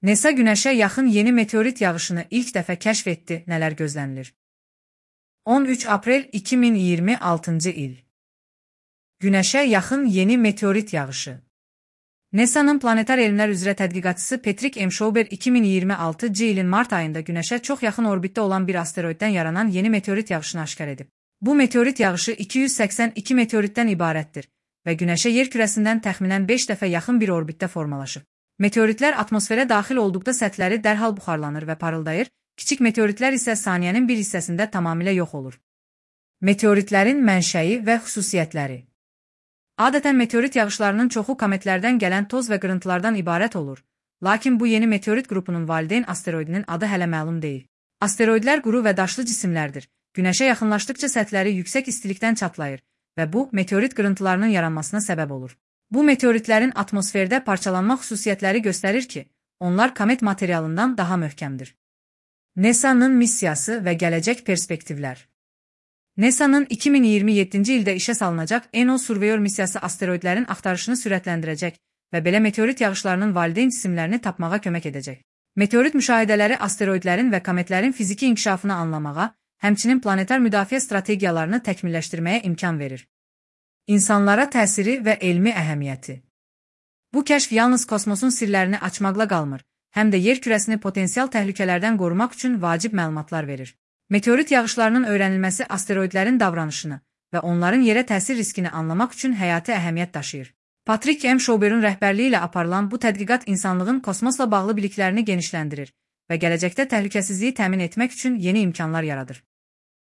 NASA Günəşə yaxın yeni meteorit yağışını ilk dəfə kəşf etdi, nələr gözlənilir? 13 aprel 2026-cı il. Günəşə yaxın yeni meteorit yağışı. NASA'nın planetar elmlər üzrə tədqiqatçısı Patrick M. Schauber 2026-cı ilin mart ayında Günəşə çox yaxın orbitdə olan bir asteroiddən yaranan yeni meteorit yağışını aşkar edib. Bu meteorit yağışı 282 meteoritdən ibarətdir və Günəşə yer kürəsindən təxminən 5 dəfə yaxın bir orbitdə formalaşıb. Meteoritlər atmosferə daxil olduqda səthləri dərhal buxarlanır və parıldayır, kiçik meteoritlər isə saniyənin bir hissəsində tamamilə yox olur. Meteoritlərin mənşəyi və xüsusiyyətləri. Adətən meteorit yağışlarının çoxu kometlərdən gələn toz və qırıntılardan ibarət olur, lakin bu yeni meteorit qrupunun valideyn asteroidinin adı hələ məlum deyil. Asteroidlər quru və daşlı cisimlərdir. Günəşə yaxınlaşdıqca səthləri yüksək istilikdən çatlayır və bu, meteorit qırıntılarının yaranmasına səbəb olur. Bu meteoritlərin atmosferdə parçalanma xüsusiyyətləri göstərir ki, onlar komet materialından daha möhkəmdir. NASA'nın missiyası və gələcək perspektivlər. NASA'nın 2027-ci ildə işə salınacaq ENO Surveyor missiyası asteroidlərin axtarışını sürətləndirəcək və belə meteorit yağışlarının valideyn cisimlərini tapmağa kömək edəcək. Meteorit müşahidələri asteroidlərin və kometlərin fiziki inkişafını anlamağa, həmçinin planetar müdafiə strategiyalarını təkmilləşdirməyə imkan verir. İnsanlara təsiri və elmi əhəmiyyəti. Bu kəşf yalnız kosmosun sirlərini açmaqla qalmır, həm də yer kürəsini potensial təhlükələrdən qorumaq üçün vacib məlumatlar verir. Meteorit yağışlarının öyrənilməsi asteroidlərin davranışını və onların yerə təsir riskini anlamaq üçün həyati əhəmiyyət daşıyır. Patrick M. Schauber'ın rəhbərliyi ilə aparılan bu tədqiqat insanlığın kosmosla bağlı biliklərini genişləndirir və gələcəkdə təhlükəsizliyi təmin etmək üçün yeni imkanlar yaradır.